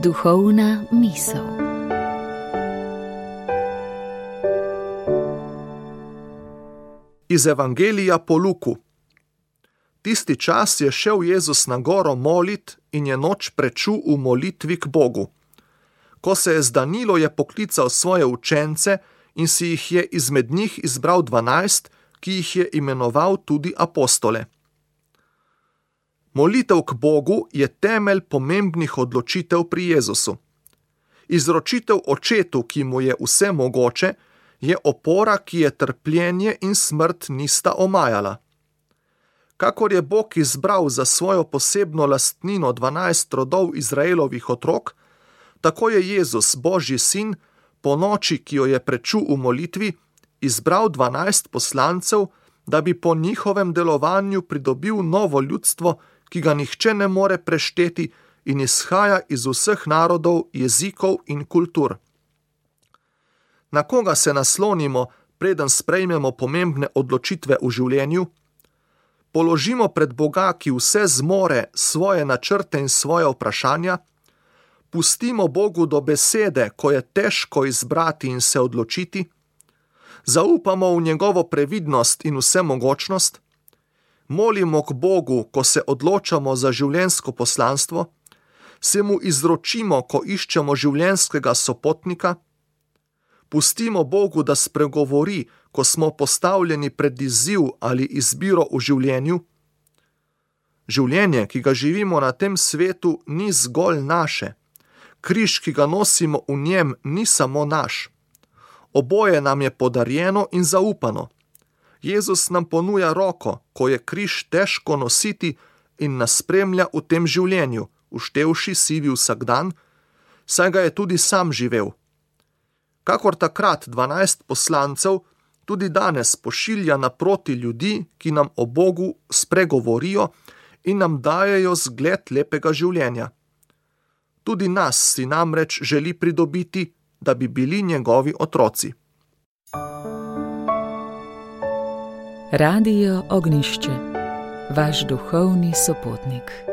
Duhovna misel. Iz Evangelija po Luku. Tisti čas je šel Jezus na goro molit in je noč prečul v molitvi k Bogu. Ko se je zdanilo, je poklical svoje učence in si jih je izmed njih izbral 12, ki jih je imenoval tudi apostole. Molitev k Bogu je temelj pomembnih odločitev pri Jezusu. Izročitev očetu, ki mu je vse mogoče, je opora, ki je trpljenje in smrt nista omajala. Kakor je Bog izbral za svojo posebno lastnino 12 rodov Izraelovih otrok, tako je Jezus, Božji sin, po noči, ki jo je prečul v molitvi, izbral 12 poslancev, da bi po njihovem delovanju pridobil novo ljudstvo, ki ga nihče ne more prešteti in izhaja iz vseh narodov, jezikov in kultur. Na koga se naslonimo, preden sprejmemo pomembne odločitve v življenju? Položimo pred Boga, ki vse zmore, svoje načrte in svoje vprašanja? Pustimo Bogu do besede, ko je težko izbrati in se odločiti? Zaupamo v njegovo previdnost in vsemogočnost? Molimo k Bogu, ko se odločamo za življenjsko poslanstvo? Se mu izročimo, ko iščemo življenjskega sopotnika? Pustimo Bogu, da spregovori, ko smo postavljeni pred izziv ali izbiro v življenju? Življenje, ki ga živimo na tem svetu, ni zgolj naše. Križ, ki ga nosimo v njem, ni samo naš. Oboje nam je podarjeno in zaupano. Jezus nam ponuja roko, ko je križ težko nositi, in nas spremlja v tem življenju, uštevši sivi vsakdan, saj ga je tudi sam živel. Kakor takrat 12 poslancev, tudi danes pošilja naproti ljudi, ki nam o Bogu spregovorijo in nam dajejo zgled lepega življenja. Tudi nas si namreč želi pridobiti, da bi bili njegovi otroci. Radio Ognjišče, vaš duhovni sopotnik.